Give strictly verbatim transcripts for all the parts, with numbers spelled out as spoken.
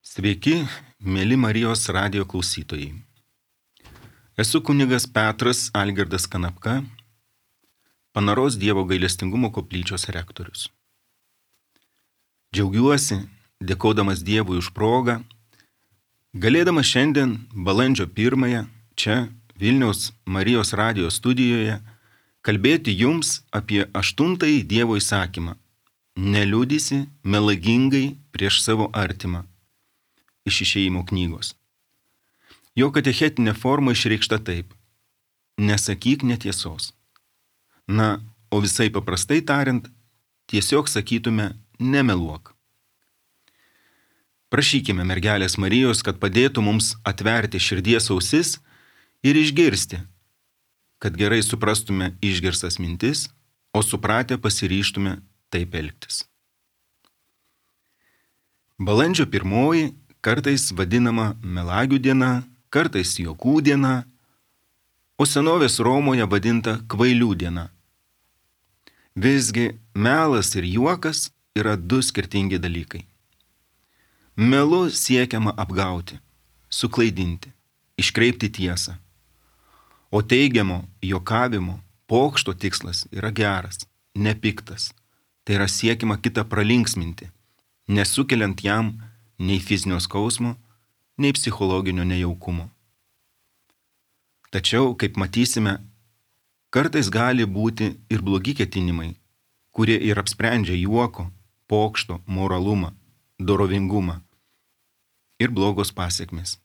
Sveiki, mėly Marijos radijo klausytojai. Esu kunigas Petras Algirdas Kanapka, Panaros Dievo gailestingumo koplyčios rektorius. Džiaugiuosi, dėkodamas Dievui už progą, galėdamas šiandien balandžio pirmąją čia Vilniaus Marijos radijo studijoje kalbėti jums apie aštuntąjį Dievo įsakymą – neliudysi melagingai prieš savo artimą iš Išėjimo knygos. Jo katechetinė forma išreikšta taip – nesakyk netiesos. Na, o visai paprastai tariant, tiesiog sakytume nemeluok. Prašykime mergelės Marijos, kad padėtų mums atverti širdies ausis ir išgirsti, kad gerai suprastume išgirstas mintis, o supratę pasiryžtume taip elgtis. Balandžio pirmoji kartais vadinama melagių diena, kartais juokų diena, o senovės Romoje vadinta kvailių diena. Visgi melas ir juokas yra du skirtingi dalykai. Melu siekiama apgauti, suklaidinti, iškreipti tiesą. O teigiamo juokavimo, pokšto tikslas yra geras, nepiktas. Tai yra siekiama kitą pralinksminti, nesukeliant jam nei fizinio skausmo, nei psichologinio nejaukumo. Tačiau, kaip matysime, kartais gali būti ir blogi ketinimai, kurie ir apsprendžia juoko, pokšto, moralumą, dorovingumą ir blogos pasekmės.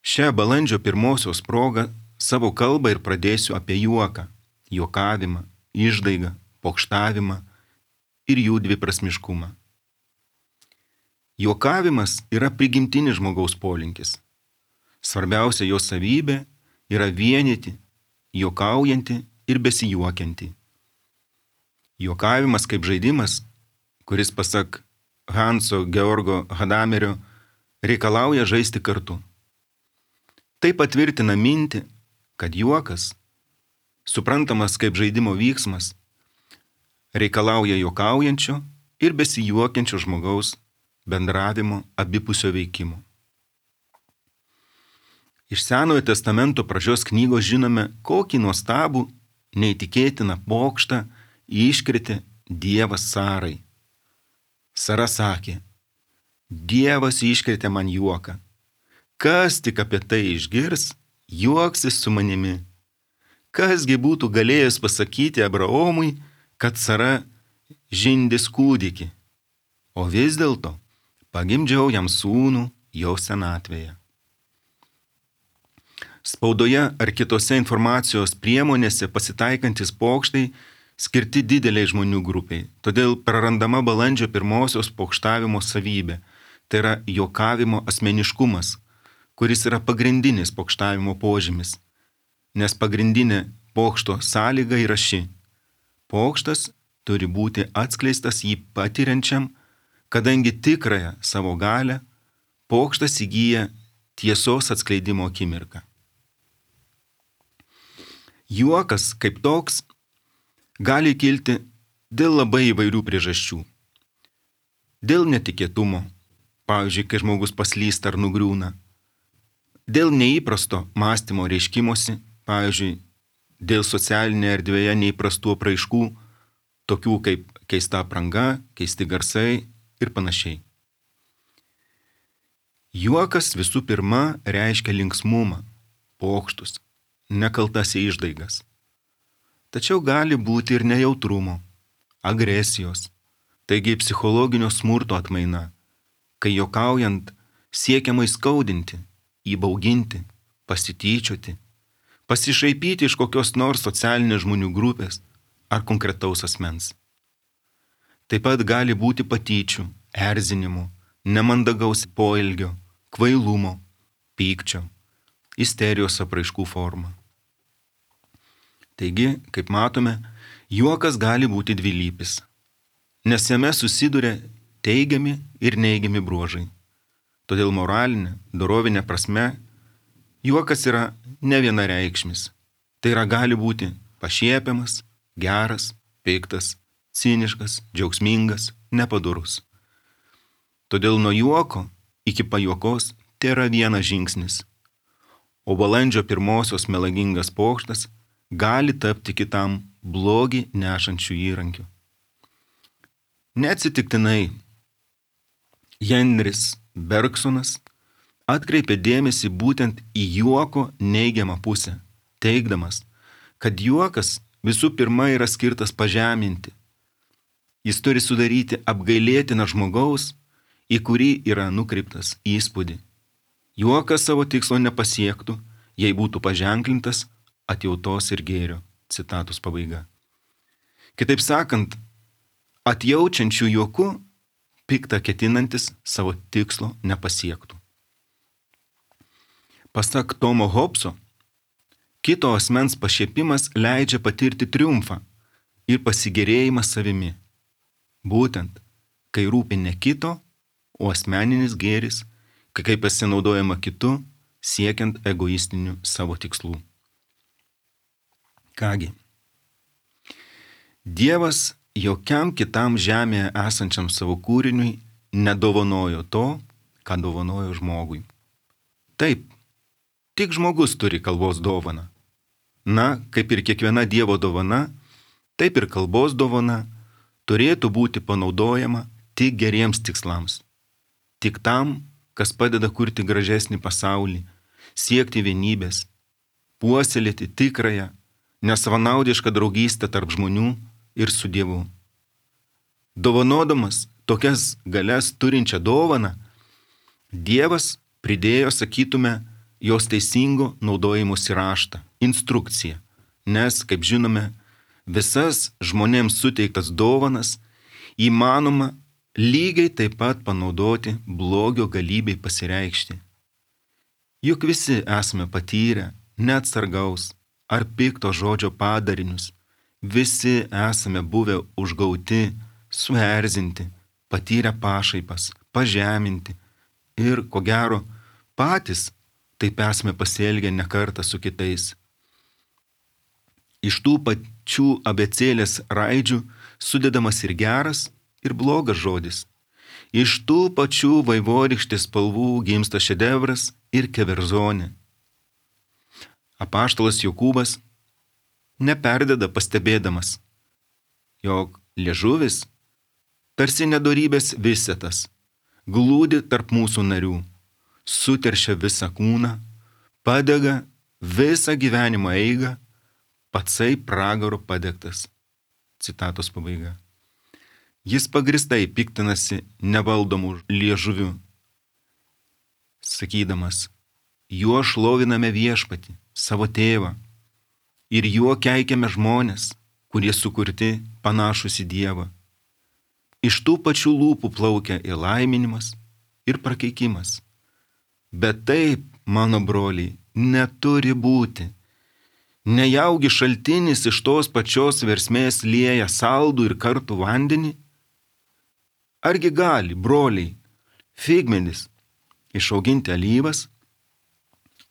Šią balandžio pirmosios progą savo kalbą ir pradėsiu apie juoką, juokavimą, išdaigą, pokštavimą ir jų dviprasmiškumą. Juokavimas yra prigimtinis žmogaus polinkis. Svarbiausia jo savybė yra vienyti, juokaujanti ir besijuokianti. Juokavimas kaip žaidimas, kuris pasak Hanso Georgo Hadamerio reikalauja žaisti kartu. Tai patvirtina mintį, kad juokas, suprantamas kaip žaidimo vyksmas, reikalauja juokaujančio ir besijuokiančio žmogaus bendravimo abipusio veikimo. Iš Senojo testamento pradžios knygos žinome, kokį nuostabų, neįtikėtiną pokštą iškrėtė Dievas Sarai. Sara sakė, Dievas iškrėtė man juoką. Kas tik apie tai išgirs, juoksis su manimi. Kasgi būtų galėjęs pasakyti Abraomui, kad Sara žindys kūdikį, o vis dėlto pagimdžiau jam sūnų jau senatvėje. Spaudoje ar kitose informacijos priemonėse pasitaikantis pokštai skirti dideliai žmonių grupiai, todėl prarandama balandžio pirmosios pokštavimo savybė, tai yra juokavimo asmeniškumas, kuris yra pagrindinis pokštavimo požymis, nes pagrindinė pokšto sąlyga yra ši. Pokštas turi būti atskleistas jį patiriančiam, kadangi tikrąją savo galę pokštas įgyja tiesos atskleidimo akimirką. Juokas kaip toks gali kilti dėl labai įvairių priežasčių. Dėl netikėtumo, pavyzdžiui, kai žmogus paslysta ar nugriūna. Dėl neįprasto mąstymo reiškimosi, pavyzdžiui, dėl socialinėje erdvėje neįprastų apraiškų, tokių kaip keista apranga, keisti garsai ir panašiai. Juokas visų pirma reiškia linksmumą, pokštus, nekaltas išdaigas. Tačiau gali būti ir nejautrumo, agresijos, taigi psichologinio smurto atmaina, kai juokaujant siekiama įskaudinti, įbauginti, pasityčioti, pasišaipyti iš kokios nors socialinės žmonių grupės ar konkretaus asmens. Taip pat gali būti patyčių, erzinimų, nemandagaus poelgio, kvailumo, pykčio, isterijos apraiškų forma. Taigi, kaip matome, juokas gali būti dvilypis, nes jame susiduria teigiami ir neigiami bruožai. Todėl moralinė, dorovinė prasme, juokas yra ne vienareikšmis. Tai yra gali būti pašiepiamas, geras, piktas, ciniškas, džiaugsmingas, nepadorus. Todėl nuo juoko iki pajuokos tėra vienas žingsnis, o balandžio pirmosios melagingas pokštas gali tapti kitam blogį nešančių įrankių. Neatsitiktinai Henris Bergsonas atkreipė dėmesį būtent į juoko neigiamą pusę, teigdamas, kad juokas visų pirma yra skirtas pažeminti. Jis turi sudaryti apgailėtiną žmogaus, į kurį yra nukreiptas įspūdį. Juokas savo tikslo nepasiektų, jei būtų paženklintas atjautos ir gėrio. Citatos pabaiga. Kitaip sakant, atjaučiančių juoku piktą ketinantis savo tikslo nepasiektų. Pasak Tomo Hobso, kito asmens pašiepimas leidžia patirti triumfą ir pasigėrėjimą savimi. Būtent, kai rūpi ne kito, o asmeninis gėris, kai pasinaudojama kitu, siekiant egoistinių savo tikslų. Kągi, Dievas jokiam kitam žemėje esančiam savo kūriniui nedovanojo to, ką dovanojo žmogui. Taip, tik žmogus turi kalbos dovaną. Na, kaip ir kiekviena Dievo dovana, taip ir kalbos dovana turėtų būti panaudojama tik geriems tikslams. Tik tam, kas padeda kurti gražesnį pasaulį, siekti vienybės, puoselėti tikrąją, nesavanaudišką draugystę tarp žmonių ir su Dievu. Dovanodamas tokias galias turinčią dovaną, Dievas pridėjo, sakytume, jos teisingo naudojimosi raštą, instrukciją, nes, kaip žinome, visas žmonėms suteiktas dovanas įmanoma lygiai taip pat panaudoti blogio galybei pasireikšti. Juk visi esame patyrę neatsargaus ar pikto žodžio padarinius, visi esame buvę užgauti, suerzinti, patyrę pašaipas, pažeminti ir, ko gero, patys taip esame pasielgę ne kartą su kitais. Iš tų pačių abėcėlės raidžių sudedamas ir geras, ir blogas žodis. Iš tų pačių vaivorykštės spalvų gimsta šedevras ir keverzonė. Apaštalas Jokūbas neperdeda pastebėdamas, jog liežuvis, tarsi nedorybės visetas, glūdi tarp mūsų narių, suteršia visą kūną, padega visą gyvenimo eigą, patsai pragaro padegtas. Citatos pabaiga. Jis pagristai piktinasi nevaldomų liežuvių, sakydamas, juo šloviname viešpatį, savo tėvą, ir juo keikiame žmonės, kurie sukurti panašus į Dievą. Iš tų pačių lūpų plaukia ir laiminimas, ir prakeikimas. Bet taip, mano broliai, neturi būti. Nejaugi šaltinis iš tos pačios versmės lieja saldų ir kartų vandenį? Argi gali, broliai, figmedis išauginti alyvas,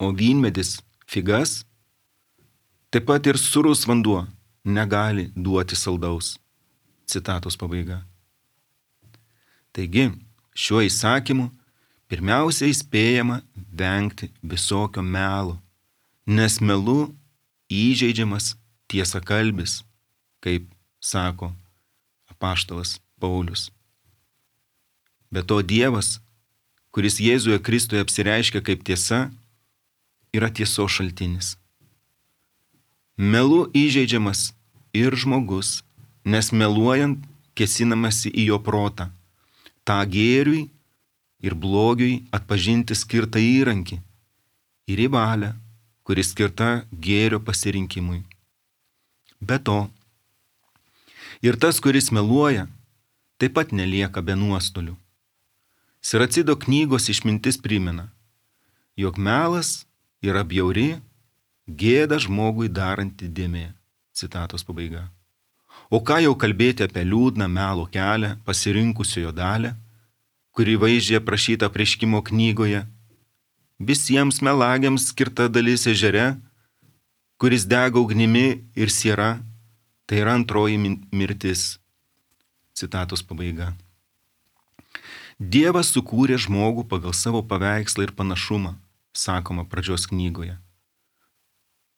o vynmedis figas? Taip pat ir sūrus vanduo negali duoti saldaus. Citatos pabaiga. Taigi, šiuo įsakymu pirmiausia įspėjama vengti visokio melo, nes melu įžeidžiamas tiesakalbis, kaip sako apaštalas Paulius. Be to Dievas, kuris Jėzuje Kristuje apsireiškia kaip tiesa, yra tiesos šaltinis. Melu įžeidžiamas ir žmogus, nes meluojant kėsinamasi į jo protą, tą gėriui ir blogiui atpažinti skirtą įrankį ir į valią, kuri skirta gėrio pasirinkimui. Be to, ir tas, kuris meluoja, taip pat nelieka be nuostolių. Siracido knygos išmintis primena, jog melas yra bjauri, gėda žmogui daranti dėmė. Citatos pabaiga. O ką jau kalbėti apie liūdną melo kelią pasirinkusiojo dalę, kuri vaizdžiai aprašyta apreiškimo knygoje, visiems melagiams skirta dalis ežere, kuris dega ugnimi ir siera, tai yra antroji mirtis. Citatos pabaiga. Dievas sukūrė žmogų pagal savo paveikslą ir panašumą, sakoma pradžios knygoje.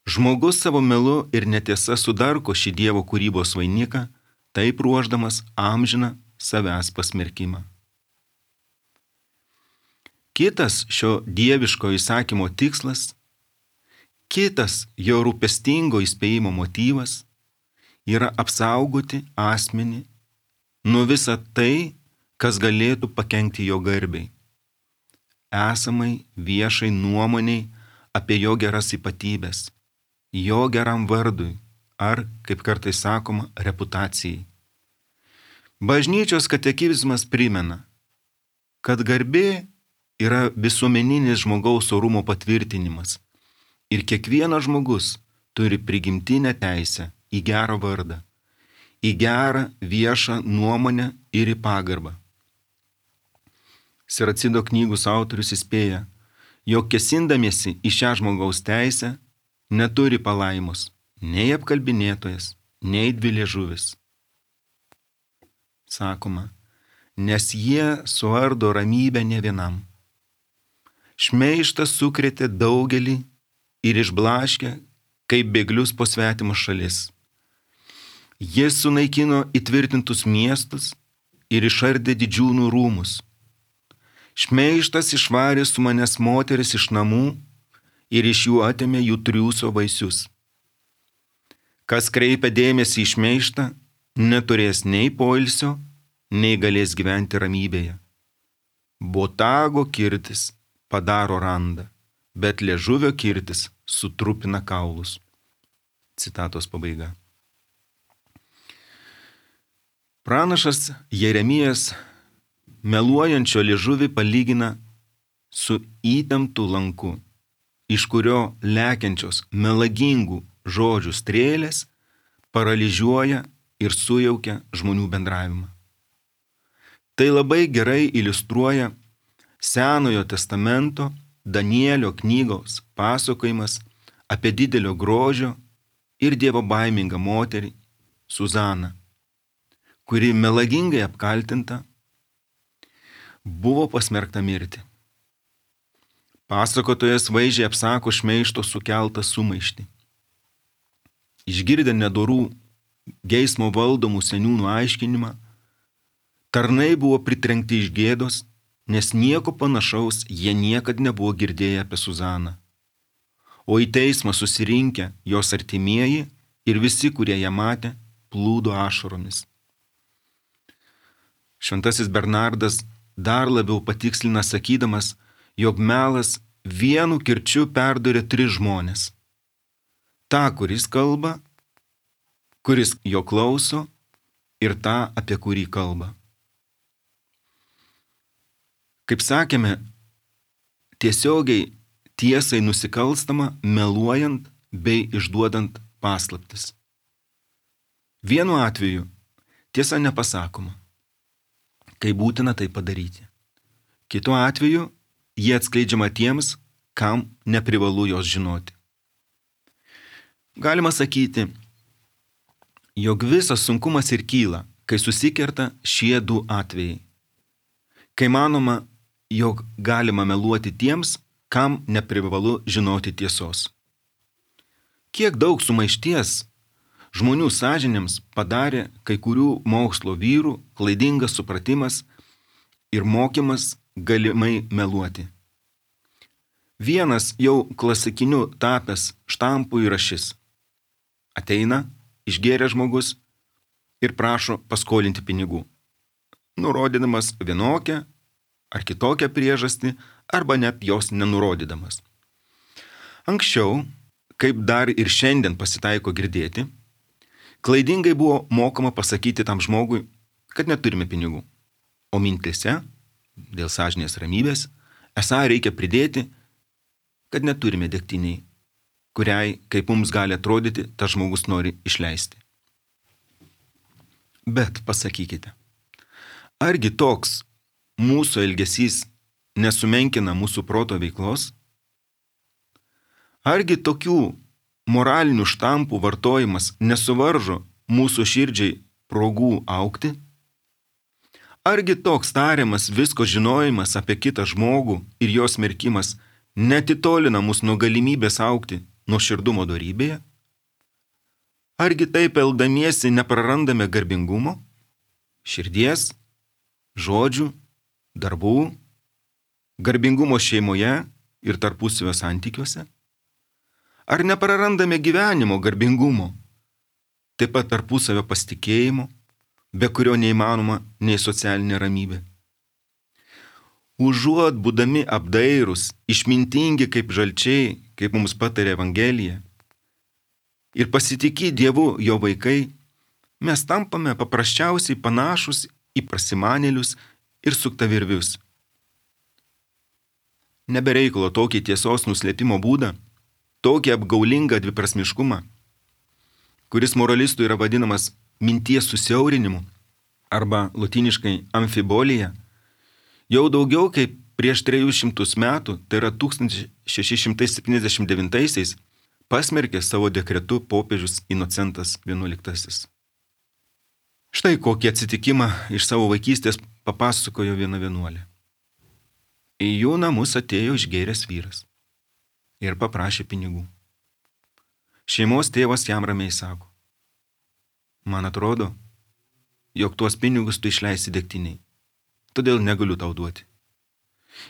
Žmogus savo melu ir netiesa sudarko šį Dievo kūrybos vainiką, taip ruošdamas amžiną savęs pasmerkimą. Kitas šio dieviško įsakymo tikslas, kitas jo rūpestingo įspėjimo motyvas yra apsaugoti asmenį nuo visą tai, kas galėtų pakenkti jo garbei, esamai viešai nuomoniai apie jo geras ypatybės, jo geram vardui ar, kaip kartais sakoma, reputacijai. Bažnyčios katekizmas primena, kad garbė yra visuomeninis žmogaus orumo patvirtinimas ir kiekvienas žmogus turi prigimtinę teisę į gerą vardą, į gerą viešą nuomonę ir į pagarbą. Siracido knygos autorius įspėja, jog kėsindamiesi į šią žmogaus teisę neturi palaimos nei apkalbinėtojas, nei dviliežuvis. Sakoma, nes jie suardo ramybę ne vienam. Šmeižtas sukrėtė daugelį ir išblaškė, kaip bėglius po svetimus šalis. Jis sunaikino įtvirtintus miestus ir išardė didžiūnų rūmus. Šmeižtas išvarė su manęs moteris iš namų ir iš jų atėmė jų triūso vaisius. Kas kreipia dėmesį į šmeižtą, neturės nei poilsio, nei galės gyventi ramybėje. Botago kirtis padaro randą, bet liežuvio kirtis sutrupina kaulus. Citatos pabaiga. Pranašas Jeremijas meluojančio liežuvį palygina su įtemptu lanku, iš kurio lekiančios melagingų žodžių strėlės paralyžiuoja ir sujaukia žmonių bendravimą. Tai labai gerai iliustruoja Senojo testamento Danielio knygos pasakojimas apie didelio grožio ir dievo baimingą moterį Suzaną, kuri melagingai apkaltinta buvo pasmerkta mirti. Pasakotojas vaizdžiai apsako šmeižto sukeltą sumaištį. Išgirdę nedorų geismo valdomų seniūnų aiškinimą, tarnai buvo pritrenkti iš gėdos, nes nieko panašaus jie niekad nebuvo girdėję apie Suzaną. O į teismą susirinkę jos artimieji ir visi, kurie ją matė, plūdo ašaromis. Šventasis Bernardas dar labiau patikslina sakydamas, jog melas vienu kirčiu perdurė tris žmonės. Ta, kuris kalba, kuris jo klauso ir tą, apie kurį kalba. Kaip sakėme, tiesiogiai tiesai nusikalstama meluojant bei išduodant paslaptis. Vienu atveju tiesa nepasakoma, kai būtina tai padaryti. Kitu atveju jie atskleidžiama tiems, kam neprivalu jos žinoti. Galima sakyti, jog visas sunkumas ir kyla, kai susikerta šie du atvejai. Kai manoma, jog galima meluoti tiems, kam neprivalu žinoti tiesos. Kiek daug sumaišties žmonių sąžinėms padarė kai kurių mokslo vyrų klaidingas supratimas ir mokymas galimai meluoti. Vienas jau klasikiniu tapęs štampu yra šis. Ateina, išgėrė žmogus ir prašo paskolinti pinigų, nurodydamas vienokią ar kitokią priežastį, arba net jos nenurodydamas. Anksčiau, kaip dar ir šiandien pasitaiko girdėti, klaidingai buvo mokama pasakyti tam žmogui, kad neturime pinigų, o mintise, dėl sąžinės ramybės, esą reikia pridėti, kad neturime degtiniai, kuriai, kaip mums gali atrodyti, tas žmogus nori išleisti. Bet pasakykite, argi toks mūsų elgesys nesumenkina mūsų proto veiklos? Argi tokių moralinių štampų vartojimas nesuvaržo mūsų širdžiai progų augti? Argi toks tariamas visko žinojimas apie kitą žmogų ir jos smerkimas netitolina mus nuo galimybės augti nuo širdumo dorybėje? Argi taip elgdamiesi neprarandame garbingumo, širdies, žodžių, darbų, garbingumo šeimoje ir tarpusavio santykiuose? Ar neprarandame gyvenimo garbingumo, taip pat tarpusavio pasitikėjimo, be kurio neįmanoma nei socialinė ramybė? Užuot būdami apdairūs, išmintingi kaip žalčiai, kaip mums patarė Evangelija, ir pasitikį Dievu jo vaikai, mes tampame paprasčiausiai panašus į prasimanėlius ir suktavirvius. Nebereikalo tokį tiesos nuslėpimo būdą, tokį apgaulingą dviprasmiškumą, kuris moralistų yra vadinamas minties susiaurinimu arba lotyniškai amfibolija, jau daugiau kaip prieš trejus šimtus metų, tai yra tūkstantis šeši šimtai septyniasdešimt devintaisiais, pasmerkė savo dekretu popiežius Inocentas vienuoliktasis. Štai kokį atsitikimą iš savo vaikystės papasakojo viena vienuolė. Į jų namus atėjo išgėręs vyras ir paprašė pinigų. Šeimos tėvas jam ramiai sako: man atrodo, jog tuos pinigus tu išleisi degtiniai, todėl negaliu tau duoti.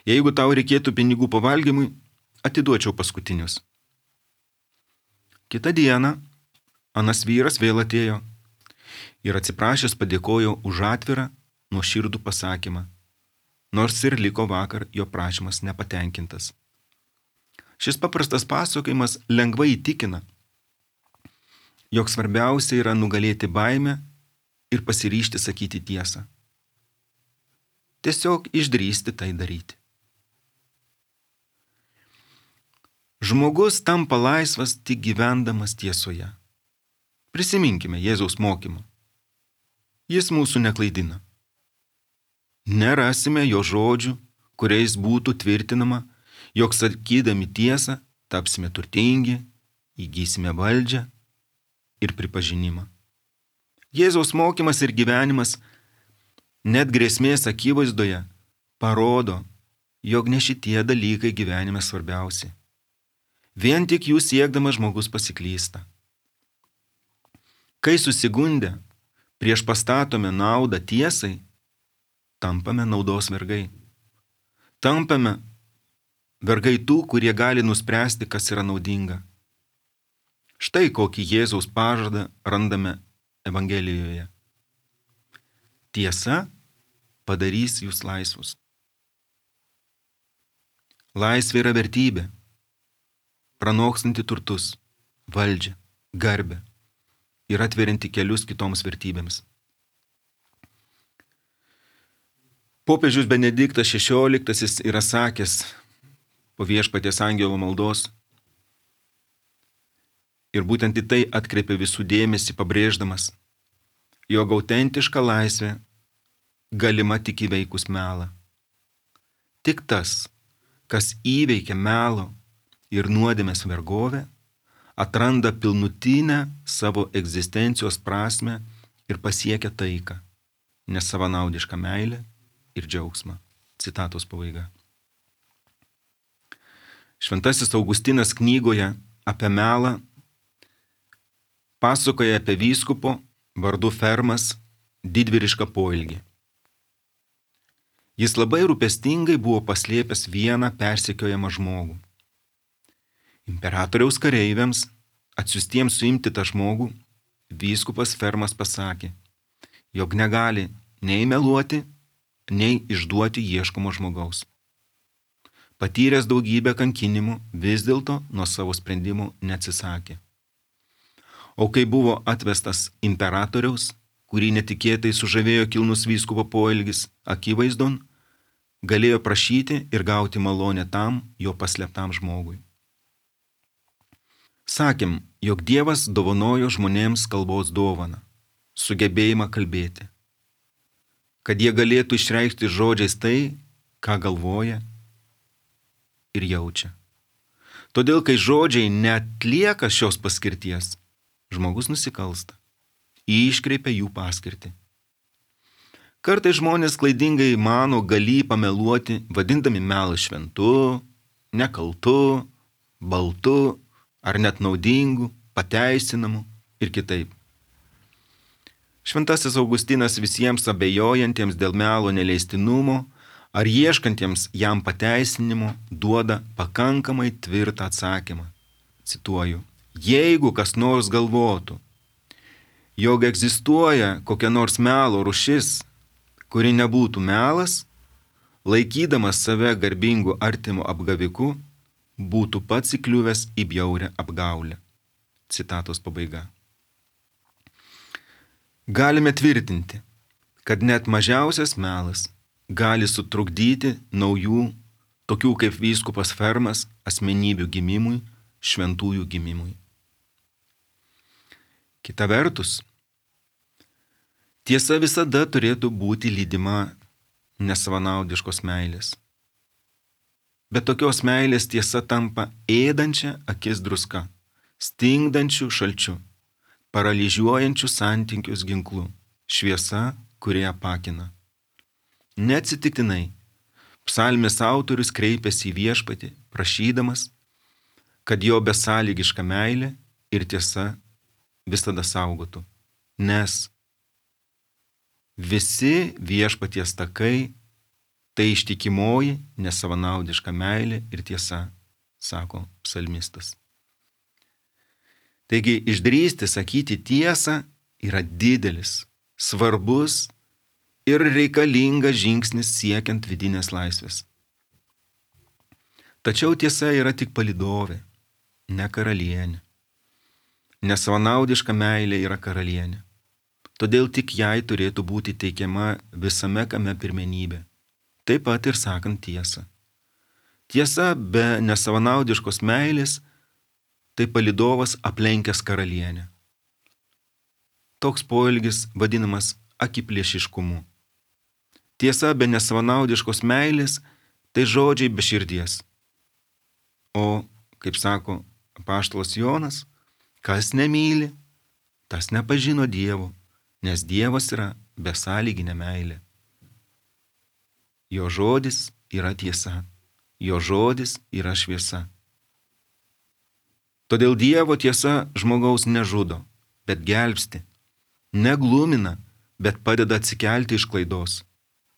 Jeigu tau reikėtų pinigų pavalgymui, atiduočiau paskutinius. Kitą dieną anas vyras vėl atėjo ir atsiprašęs padėkojo už atvirą, nuoširdų pasakymą, nors ir liko vakar jo prašymas nepatenkintas. Šis paprastas pasakojimas lengvai įtikina, jog svarbiausia yra nugalėti baimę ir pasiryžti sakyti tiesą. Tiesiog išdrįsti tai daryti. Žmogus tampa laisvas tik gyvendamas tiesoje. Prisiminkime Jėzaus mokymą. Jis mūsų neklaidina. Nerasime jo žodžių, kuriais būtų tvirtinama, jog sakydami tiesą tapsime turtingi, įgysime valdžią ir pripažinimą. Jėzaus mokymas ir gyvenimas net grėsmės akivaizdoje parodo, jog ne šitie dalykai gyvenime svarbiausi. Vien tik jų siekdamas žmogus pasiklysta. Kai susigundę prieš pastatome naudą tiesai, tampame naudos vergai. Tampame vergai tų, kurie gali nuspręsti, kas yra naudinga. Štai kokį Jėzaus pažadą randame Evangelijoje. Tiesa padarys jūs laisvus. Laisvė yra vertybė, pranokstanti turtus, valdžią, garbę ir atverianti kelius kitoms vertybėms. Popiežius Benediktas šešioliktasis yra sakęs po Viešpaties angelo maldos ir būtent į tai atkreipė visų dėmesį, pabrėždamas, jog autentiška laisvė galima tik įveikus melą. Tik tas, kas įveikia melo ir nuodėmės vergovę, atranda pilnutinę savo egzistencijos prasmę ir pasiekia taiką, nesavanaudišką meilę ir džiaugsmą. Citatos pabaiga. Šventasis Augustinas knygoje apie melą pasakoja apie vyskupo vardu Fermas didvyrišką poelgį. Jis labai rūpestingai buvo paslėpęs vieną persekiojamą žmogų. Imperatoriaus kareiviams, atsiųstiems suimti tą žmogų, vyskupas Fermas pasakė, jog negali nei meluoti, nei išduoti ieškomo žmogaus. Patyręs daugybę kankinimų, vis dėlto nuo savo sprendimų neatsisakė. O kai buvo atvestas imperatoriaus, kurį netikėtai sužavėjo kilnus vyskupo poelgis, akivaizdon, galėjo prašyti ir gauti malonę tam jo paslėptam žmogui. Sakėm, jog Dievas dovanojo žmonėms kalbos dovaną, sugebėjimą kalbėti, kad jie galėtų išreikšti žodžiais tai, ką galvoja ir jaučia. Todėl, kai žodžiai neatlieka šios paskirties, žmogus nusikalsta, iškreipia jų paskirtį. Kartais žmonės klaidingai mano galį pameluoti, vadindami melą šventu, nekaltu, baltu ar net naudingu, pateisinamu ir kitaip. Šventasis Augustinas visiems abejojantiems dėl melo neleistinumo ar ieškantiems jam pateisinimo duoda pakankamai tvirtą atsakymą. Cituoju, jeigu kas nors galvotų, jog egzistuoja kokia nors melo rūšis, kuri nebūtų melas, laikydamas save garbingu artimu apgaviku, būtų pats įkliuvęs į bjaurią apgaulę. Citatos pabaiga. Galime tvirtinti, kad net mažiausias melas gali sutrukdyti naujų, tokių kaip vyskupas Fermas, asmenybių gimimui, šventųjų gimimui. Kita vertus, tiesa visada turėtų būti lydima nesavanaudiškos meilės. Bet tokios meilės tiesa tampa ėdančia akis druska, stingdančių šalčiu, paralyžiuojančių santykius ginklu, šviesa, kurie apakina. Neatsitiktinai, psalmės autorius kreipėsi į viešpatį, prašydamas, kad jo besąlygiška meilė ir tiesa visada saugotų, nes visi viešpaties takai tai ištikimoji, nesavanaudiška meilė ir tiesa, sako psalmistas. Taigi išdrįsti sakyti tiesą yra didelis, svarbus ir reikalingas žingsnis siekiant vidinės laisvės. Tačiau tiesa yra tik palydovė, ne karalienė. Nesavanaudiška meilė yra karalienė. Todėl tik jai turėtų būti teikiama visame kame pirmenybė. Taip pat ir sakant tiesą. Tiesa be nesavanaudiškos meilės tai palydovas aplenkęs karalienę. Toks poelgis vadinamas akiplėšiškumu. Tiesa be nesavanaudiškos meilės tai žodžiai be širdies. O, kaip sako apaštalas Jonas, kas nemyli, tas nepažino Dievo, nes Dievas yra besąlyginė meilė. Jo žodis yra tiesa, jo žodis yra šviesa. Todėl Dievo tiesa žmogaus nežudo, bet gelbsti, neglumina, bet padeda atsikelti iš klaidos,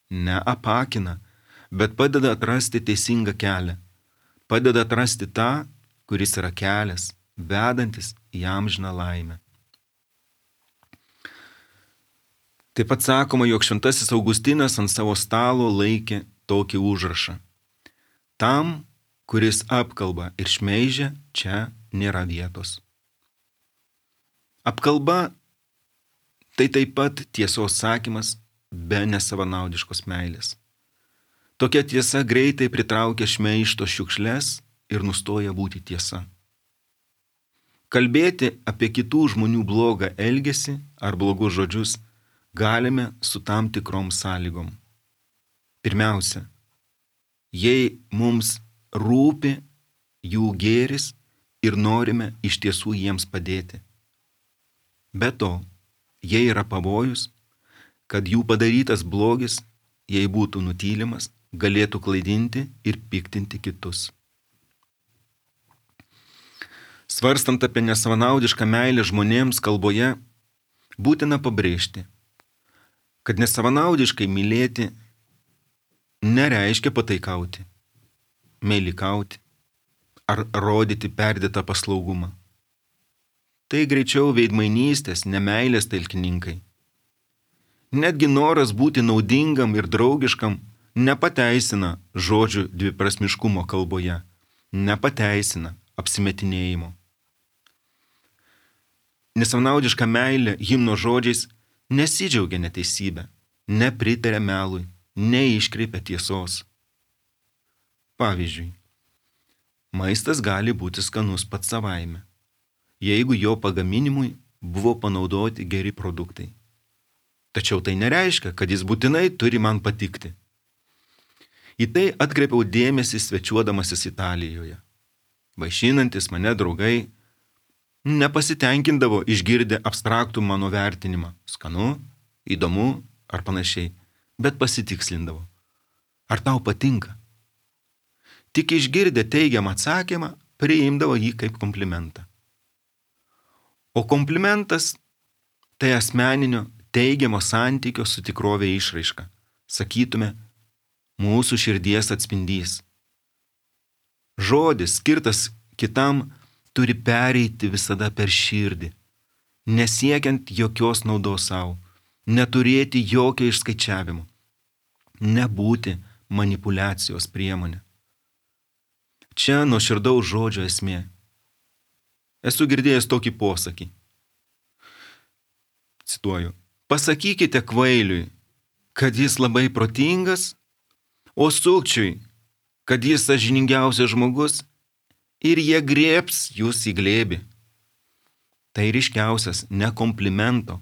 neapakina, bet padeda atrasti teisingą kelią, padeda atrasti tą, kuris yra kelias, vedantis į amžiną laimę. Taip pat sakoma, jog šventasis Augustinas ant savo stalo laikė tokį užrašą. Tam, kuris apkalba ir šmeižia, čia nėra vietos. Apkalba tai taip pat tiesos sakymas be nesavanaudiškos meilės. Tokia tiesa greitai pritraukia šmeižto šiukšles ir nustoja būti tiesa. Kalbėti apie kitų žmonių blogą elgesį ar blogus žodžius galime su tam tikrom sąlygom. Pirmiausia, jei mums rūpi jų gėris ir norime iš tiesų jiems padėti. Be to, jei yra pavojus, kad jų padarytas blogis, jei būtų nutylimas, galėtų klaidinti ir piktinti kitus. Svarstant apie nesavanaudišką meilę žmonėms kalboje, būtina pabrėžti, kad nesavanaudiškai mylėti nereiškia pataikauti, meilikauti ar rodyti perdėtą paslaugumą. Tai greičiau veidmainystės, nemeilės talkininkai. Netgi noras būti naudingam ir draugiškam nepateisina žodžių dviprasmiškumo kalboje, nepateisina apsimetinėjimo. Nesavanaudiška meilė himno žodžiais nesidžiaugia neteisybę, nepritaria melui, neiškreipia tiesos. Pavyzdžiui, maistas gali būti skanus pats savaime, jeigu jo pagaminimui buvo panaudoti geri produktai. Tačiau tai nereiškia, kad jis būtinai turi man patikti. Į tai atkreipiau dėmesį svečiuodamasis Italijoje. Vaišinantis mane draugai nepasitenkindavo išgirdę abstraktų mano vertinimą, skanu, įdomu ar panašiai, bet pasitikslindavo. Ar tau patinka? Tik išgirdę teigiamą atsakymą, priimdavo jį kaip komplimentą. O komplimentas tai asmeninio teigiamo santykio su tikrovė išraiška. Sakytume, mūsų širdies atspindys. Žodis skirtas kitam turi pereiti visada per širdį, nesiekiant jokios naudos savo, neturėti jokio išskaičiavimo, nebūti manipuliacijos priemonė. Čia nuoširdaus žodžio esmė. Esu girdėjęs tokį posakį. Cituoju. Pasakykite kvailiui, kad jis labai protingas, o sukčiui, kad jis sąžiningiausias žmogus, ir jie grėbs jūs į glėbį. Tai ryškiausias ne komplimento,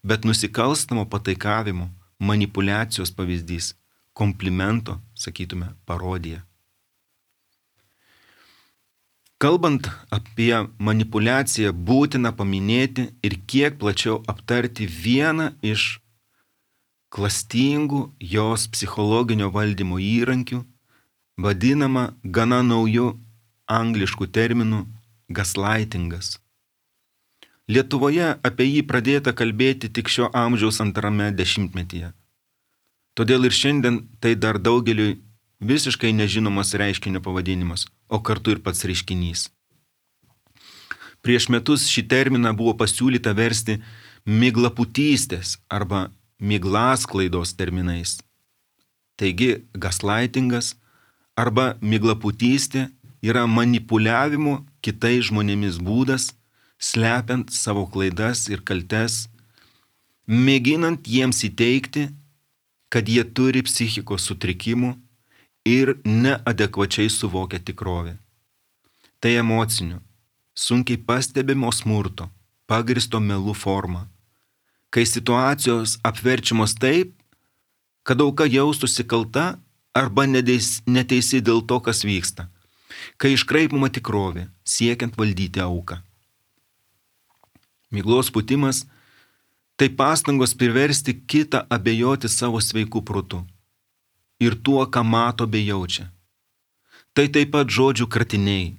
bet nusikalstamo pataikavimo, manipuliacijos pavyzdys. Komplimento, sakytume, parodija. Kalbant apie manipuliaciją, būtina paminėti ir kiek plačiau aptarti vieną iš klastingų jos psichologinio valdymo įrankių, vadinamą gana naujų angliškų terminų gaslightingas. Lietuvoje apie jį pradėta kalbėti tik šio amžiaus antrame dešimtmetyje. Todėl ir šiandien tai dar daugeliui visiškai nežinomas reiškinio pavadinimas, o kartu ir pats reiškinys. Prieš metus šį terminą buvo pasiūlyta versti miglapūtystės arba miglasklaidos terminais. Taigi, gaslightingas arba miglapūtystė yra manipuliavimo kitais žmonėmis būdas, slepiant savo klaidas ir kaltes, mėginant jiems įteigti, kad jie turi psichikos sutrikimų ir neadekvačiai suvokia tikrovę. Tai emocinio, sunkiai pastebimo smurto, pagristo melų forma, kai situacijos apverčiamos taip, kad auka jaustųsi kalta arba neteisi dėl to, kas vyksta, kai iškraipoma tikrovė, siekiant valdyti auką. Miglos pūtimas tai pastangos priversti kitą abejoti savo sveiku protu ir tuo, ką mato bei jaučia. Tai taip pat žodžių kratiniai,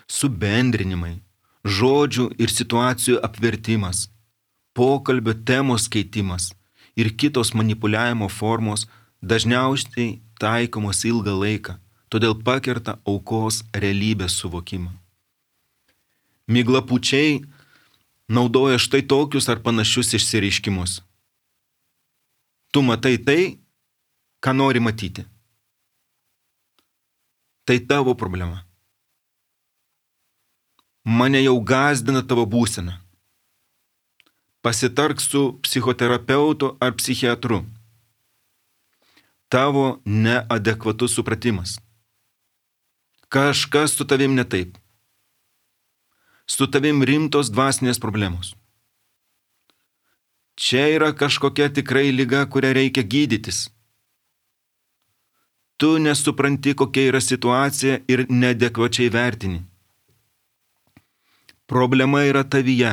subendrinimai, žodžių ir situacijų apvertimas, pokalbio temos keitimas ir kitos manipuliavimo formos dažniausiai taikomos ilgą laiką, todėl pakerta aukos realybės suvokimą. Miglapūčiai naudoja štai tokius ar panašius išsireiškimus. Tu matai tai, ką nori matyti. Tai tavo problema. Mane jau gąsdina tavo būsena. Pasitark su psichoterapeutu ar psichiatru. Tavo neadekvatus supratimas. Kažkas su tavim ne taip. Su tavim rimtos dvasinės problemos. Čia yra kažkokia tikrai liga, kurią reikia gydytis. Tu nesupranti, kokia yra situacija ir neadekvačiai vertini. Problema yra tavyje.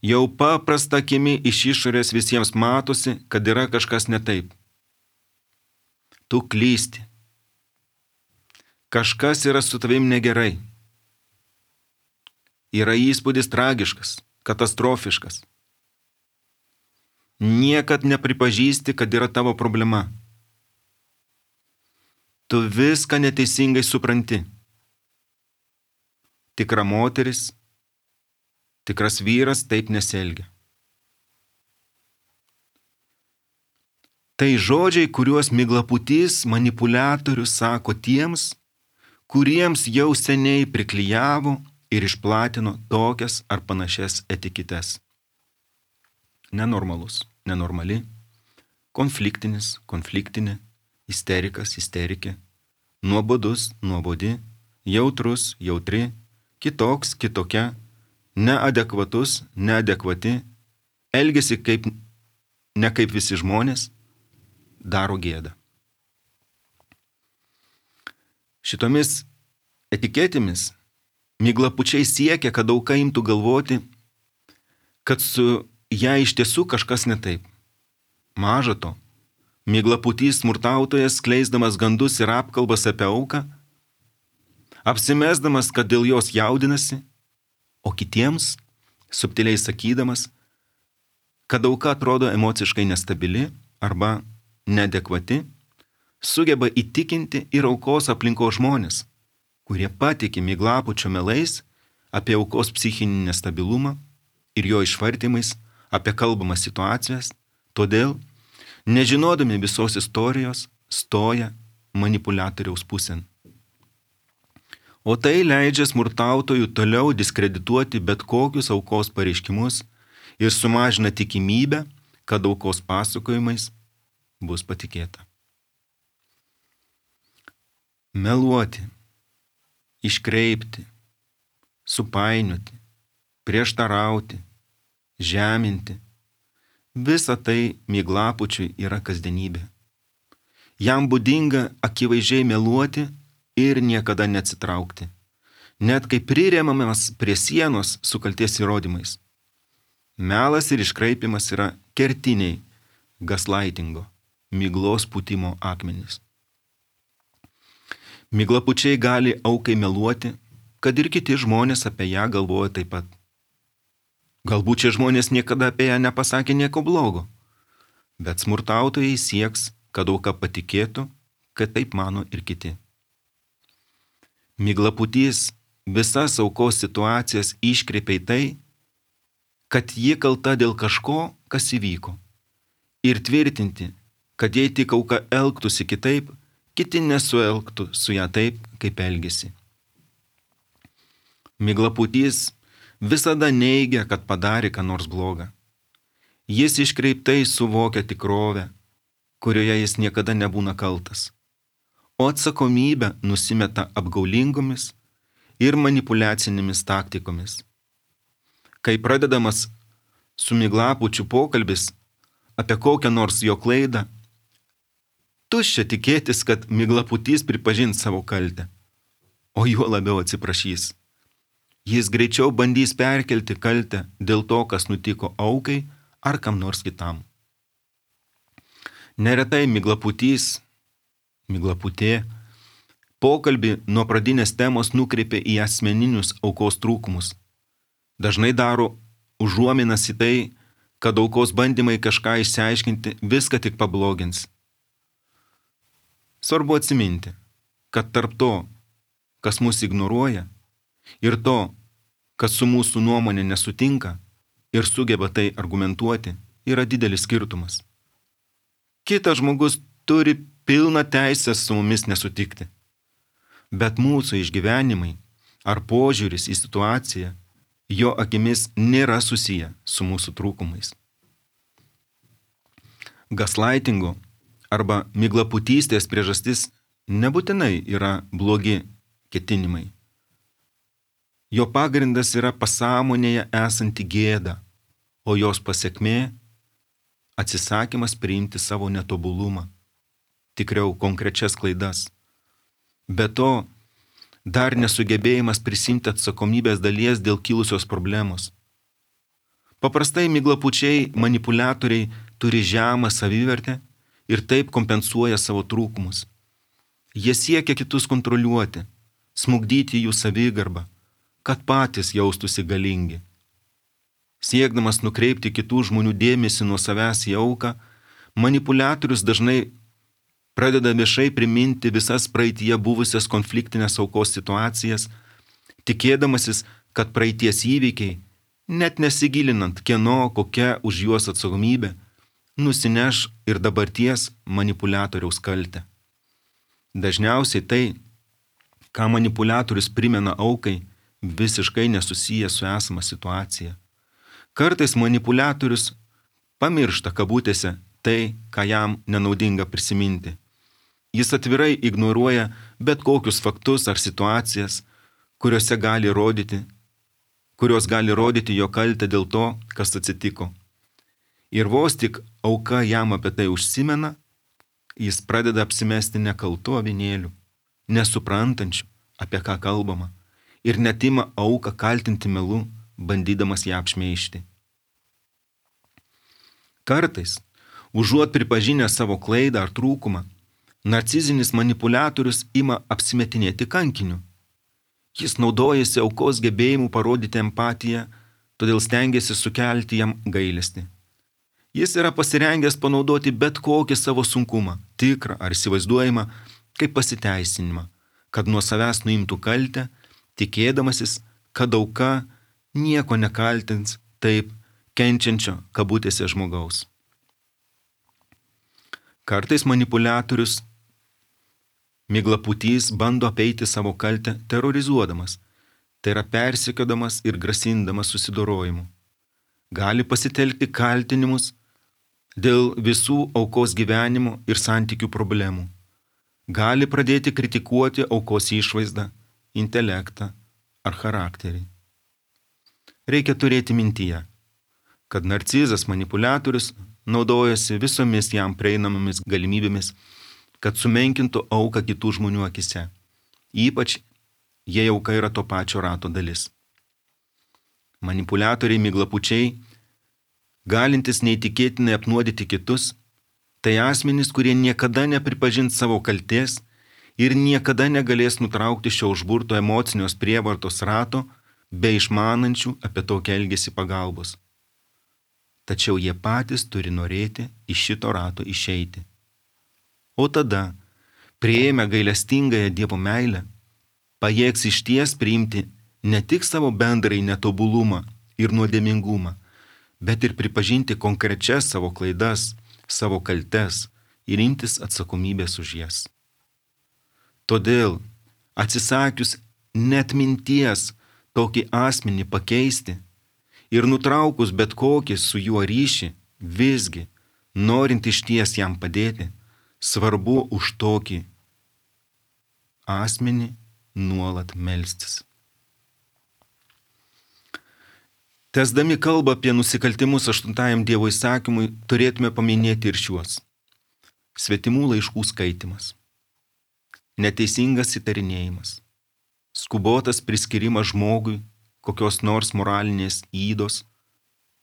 Jau paprasta akimi iš išorės visiems matosi, kad yra kažkas ne taip. Tu klysti. Kažkas yra su tavim negerai. Yra įspūdis tragiškas, katastrofiškas. Niekad nepripažįsti, kad yra tavo problema. Tu viską neteisingai supranti. Tikra moteris, tikras vyras taip nesielgia. Tai žodžiai, kuriuos miglapūtys manipuliatorius sako tiems, kuriems jau seniai priklijavo ir išplatino tokias ar panašias etiketes. Nenormalus, nenormali, konfliktinis, konfliktinė, isterikas, isterikė, nuobodus, nuobodi, jautrus, jautri, kitoks, kitokia, neadekvatus, neadekvati, elgiasi kaip, ne kaip visi žmonės, daro gėdą. Šitomis etiketėmis miglapūčiai siekia, kad auka imtų galvoti, kad su ją iš tiesų kažkas ne taip. Maža to, miglapūtys smurtautojas, skleisdamas gandus ir apkalbas apie auką, apsimesdamas, kad dėl jos jaudinasi, o kitiems subtiliai sakydamas, kad auka atrodo emociškai nestabili arba neadekvati, sugeba įtikinti ir aukos aplinkos žmonės, kurie patiki miglapūčio melais apie aukos psichinį nestabilumą ir jo išvartymais apie kalbamas situacijas, todėl, nežinodami visos istorijos, stoja manipuliatoriaus pusėn. O tai leidžia smurtautojų toliau diskredituoti bet kokius aukos pareiškimus ir sumažina tikimybę, kad aukos pasakojimais bus patikėta. Meluoti, iškreipti, supainioti, prieštarauti, žeminti – visa tai miglapūčiui yra kasdienybė. Jam būdinga akivaizdžiai meluoti ir niekada neatsitraukti, net kai priremiamas prie sienos su kalties įrodymais. Melas ir iškraipimas yra kertiniai gaslightingo, miglos pūtimo akmenys. Miglapūčiai gali aukai meluoti, kad ir kiti žmonės apie ją galvoja taip pat. Galbūt šie žmonės niekada apie ją nepasakė nieko blogo, bet smurtautojai sieks, kad auka patikėtų, kad taip mano ir kiti. Miglapūtys visas aukos situacijas iškreipia į tai, kad ji kalta dėl kažko, kas įvyko, ir tvirtinti, kad jei tik auka elgtųsi kitaip, kiti nesuelgtų su ją taip, kaip elgėsi. Miglapūtys visada neigia, kad padarė ką nors blogą. Jis iškreiptai suvokia tikrovę, kurioje jis niekada nebūna kaltas, o atsakomybę nusimeta apgaulingomis ir manipuliacinėmis taktikomis. Kai pradedamas su miglapūčiu pokalbis apie kokią nors jo klaidą, tuščia tikėtis, kad miglapūtys pripažins savo kaltę, o juo labiau atsiprašys. Jis greičiau bandys perkelti kaltę dėl to, kas nutiko aukai ar kam nors kitam. Neretai miglapūtys, miglapūtė, pokalbį nuo pradinės temos nukreipia į asmeninius aukos trūkumus. Dažnai daro užuominas į tai, kad aukos bandymai kažką išsiaiškinti viską tik pablogins. Svarbu atsiminti, kad tarp to, kas mus ignoruoja, ir to, kas su mūsų nuomonė nesutinka ir sugeba tai argumentuoti, yra didelis skirtumas. Kitas žmogus turi pilną teisę su mumis nesutikti, bet mūsų išgyvenimai ar požiūris į situaciją jo akimis nėra susiję su mūsų trūkumais. Gaslightingo arba miglapūtystės priežastis nebūtinai yra blogi ketinimai. Jo pagrindas yra pasąmonėje esanti gėda, o jos pasekmė – atsisakymas priimti savo netobulumą, tikriau konkrečias klaidas. Be to, dar nesugebėjimas prisimti atsakomybės dalies dėl kilusios problemos. Paprastai miglapūčiai manipuliatoriai turi žemą savivertę ir taip kompensuoja savo trūkumus. Jie siekia kitus kontroliuoti, smugdyti jų savigarbą, kad patys jaustųsi galingi. Siekdamas nukreipti kitų žmonių dėmesį nuo savęs į auką, manipuliatorius dažnai pradeda viešai priminti visas praeityje buvusias konfliktinės aukos situacijas, tikėdamasis, kad praeities įvykiai, net nesigilinant kieno kokia už juos atsakomybė, nusineš ir dabarties manipuliatoriaus kaltę. Dažniausiai tai, ką manipuliatorius primena aukai, visiškai nesusiję su esama situacija. Kartais manipuliatorius pamiršta kabutėse tai, ką jam nenaudinga prisiminti. Jis atvirai ignoruoja bet kokius faktus ar situacijas, kuriuose gali rodyti, kurios gali rodyti jo kaltę dėl to, kas atsitiko. Ir vos tik auka jam apie tai užsimena, jis pradeda apsimesti nekaltu avinėliu, nesuprantančiu, apie ką kalbama, ir net ima auką kaltinti melu, bandydamas ją apšmeižti. Kartais Užuot pripažinę savo klaidą ar trūkumą, narcizinis manipuliatorius ima apsimetinėti kankiniu. Jis naudojasi aukos gebėjimu parodyti empatiją, todėl stengiasi sukelti jam gailestį. Jis yra pasirengęs panaudoti bet kokį savo sunkumą, tikrą ar įsivaizduojamą, kaip pasiteisinimą, kad nuo savęs nuimtų kaltę, tikėdamasis, kad auka nieko nekaltins taip kenčiančio kabutėse žmogaus. Kartais manipuliatorius miglapūtys bando apeiti savo kaltę terorizuodamas, tai yra persekiodamas ir grasindamas susidorojimu. Gali pasitelkti kaltinimus dėl visų aukos gyvenimo ir santykių problemų. Gali pradėti kritikuoti aukos išvaizdą, intelektą ar charakterį. Reikia turėti mintyje, kad narcizas manipuliatorius naudojasi visomis jam prieinamomis galimybėmis, kad sumenkintų auką kitų žmonių akise, ypač jei auka yra to pačio rato dalis. Manipuliatoriai miglapučiai, galintis neįtikėtinai apnuodyti kitus, tai asmenys, kurie niekada nepripažins savo kaltės ir niekada negalės nutraukti šio užburto emocinios prievartos rato be išmanančių apie tokį elgesį pagalbos. Tačiau jie patys turi norėti iš šito rato išeiti. O tada, priėmę gailestingąją Dievo meilę, pajėgs išties priimti ne tik savo bendrai netobulumą ir nuodėmingumą, bet ir pripažinti konkrečias savo klaidas, savo kaltes ir imtis atsakomybės už jas. Todėl, atsisakius net minties tokį asmenį pakeisti ir nutraukus bet kokį su juo ryšį, visgi, norint išties jam padėti, svarbu už tokį asmenį nuolat melstis. Tęsdami kalbą apie nusikaltimus aštuntajam Dievo įsakymui, turėtume paminėti ir šiuos. Svetimų laiškų skaitimas, neteisingas įtarinėjimas, skubotas priskirimas žmogui kokios nors moralinės ydos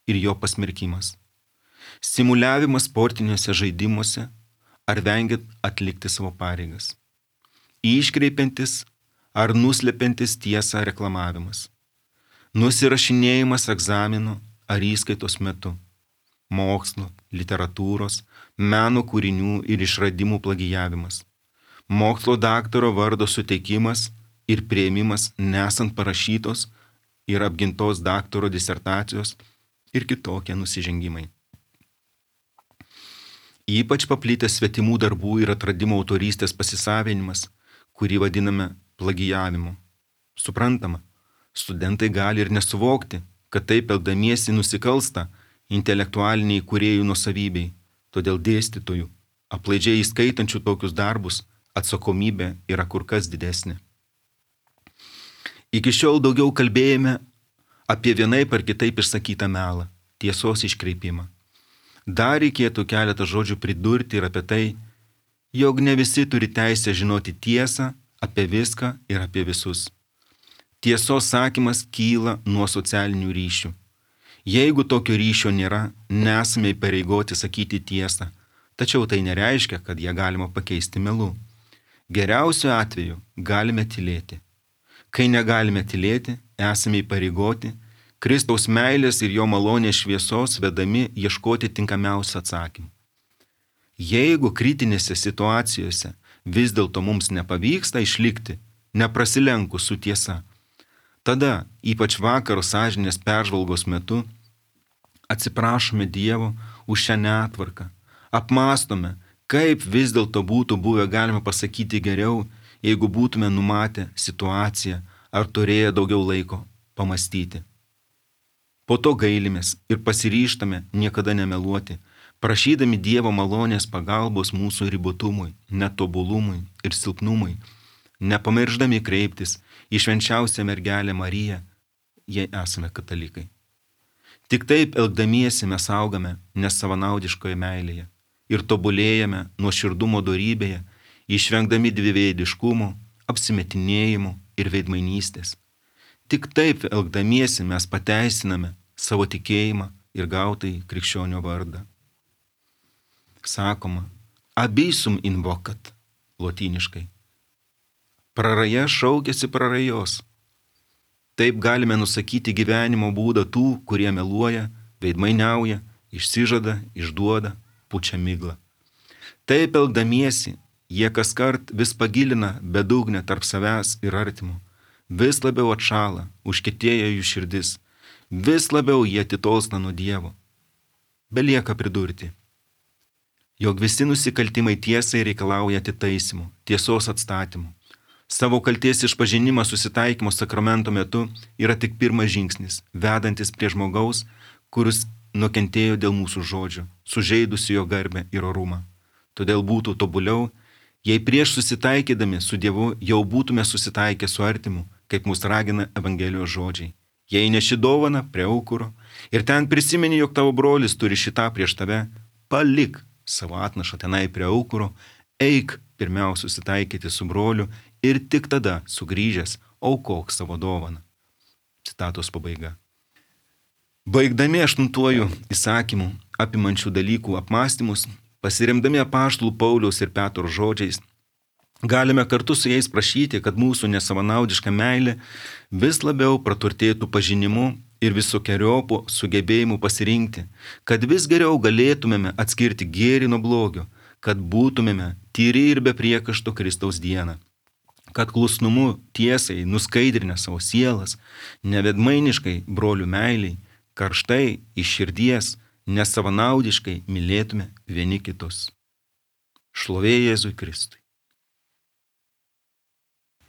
ir jo pasmerkimas, simuliavimas sportiniuose žaidimuose ar vengiant atlikti savo pareigas, iškreipiantis ar nuslepiantis tiesą reklamavimas, nusirašinėjimas egzamino ar įskaitos metu, mokslo, literatūros, meno kūrinių ir išradimų plagijavimas, mokslo daktaro vardo suteikimas ir priėmimas nesant parašytos ir apgintos daktaro disertacijos ir kitokie nusižengimai. Ypač paplitęs svetimų darbų ir atradimo autorystės pasisavinimas, kurį vadiname plagijavimu. Suprantama, studentai gali ir nesuvokti, kad taip elgdamiesi nusikalsta intelektualiniai kūrėjų nuosavybei, todėl dėstytojų, aplaidžiai įskaitančių tokius darbus, atsakomybė yra kur kas didesnė. Iki šiol daugiau kalbėjome apie vienaip ar kitaip išsakytą melą, tiesos iškreipimą. Dar reikėtų keletą žodžių pridurti ir apie tai, jog ne visi turi teisę žinoti tiesą apie viską ir apie visus. Tiesos sakymas kyla nuo socialinių ryšių. Jeigu tokio ryšio nėra, nesame įpareigoti sakyti tiesą, tačiau tai nereiškia, kad ją galima pakeisti melu. Geriausiu atveju galime tylėti. Kai negalime tylėti, esame įpareigoti Kristaus meilės ir jo malonės šviesos vedami ieškoti tinkamiausių atsakymų. Jeigu kritinėse situacijose vis dėlto mums nepavyksta išlikti, neprasilenkus su tiesa, tada, ypač vakaro sąžinės peržvalgos metu, atsiprašome Dievo už šią netvarką, apmąstome, kaip vis dėlto būtų buvę galima pasakyti geriau, jeigu būtume numatę situaciją ar turėję daugiau laiko pamastyti. Po to gailimės ir pasiryžtame niekada nemeluoti, prašydami Dievo malonės pagalbos mūsų ribotumui, netobulumui ir silpnumui, nepamirždami kreiptis į švenčiausią mergelę Mariją, jei esame katalikai. Tik taip elgdamiesi mes augame nesavanaudiškoje meilėje ir tobulėjame nuoširdumo dorybėje, išvengdami dviveidiškumo, apsimetinėjimų ir veidmainystės. Tik taip elgdamiesi mes pateisiname savo tikėjimą ir gautai krikščionio vardą. sakoma abysum invocat lotyniškai. Praraja šaukėsi prarajos. Taip galime nusakyti gyvenimo būdą tų, kurie meluoja, veidmainiauja, išsižada, išduoda, pučia miglą. Taip elgdamiesi, jie kaskart vis pagilina bedugnę tarp savęs ir artimo, vis labiau atšala, užkietėja jų širdis, vis labiau jie atitolsta nuo Dievo. Belieka pridurti, jog visi nusikaltimai tiesai reikalauja atitaisymų, tiesos atstatymų. Savo kalties išpažinimas susitaikymo sakramento metu yra tik pirmas žingsnis, vedantis prie žmogaus, kuris nukentėjo dėl mūsų žodžių, sužeidusi jo garbę ir orumą. Todėl būtų tobuliau, jei prieš susitaikydami su Dievu jau būtume susitaikę su artimu, kaip mus ragina Evangelijos žodžiai. Jei neši dovana prie aukuro ir ten prisimeni, jog tavo brolis turi šitą prieš tave, palik savo atnašą tenai prie aukuro, eik pirmiausia susitaikyti su broliu ir tik tada sugrįžęs aukok savo dovaną. Citatos pabaiga. Baigdami aštuntuoju įsakymu apimančių dalykų apmąstymus, pasiremdami apaštalų Pauliaus ir Petro žodžiais, galime kartu su jais prašyti, kad mūsų nesavanaudiška meilė vis labiau praturtėtų pažinimu ir visokeriopų sugebėjimu pasirinkti, kad vis geriau galėtumėme atskirti gėrį nuo blogio, kad būtumėme tyri ir be priekaišto Kristaus dieną, kad klusnumu tiesai nuskaidrinę savo sielas, nevedmainiškai brolių meiliai, karštai iš širdies, nesavanaudiškai mylėtume vieni kitus. Šlovė Jėzui Kristui.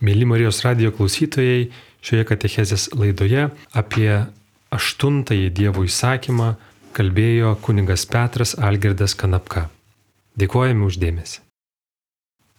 Mėly Marijos radijo klausytojai, šioje katechezės laidoje apie aštuntąjį Dievo įsakymą kalbėjo kunigas Petras Algirdas Kanapka. Dėkojame už dėmesį.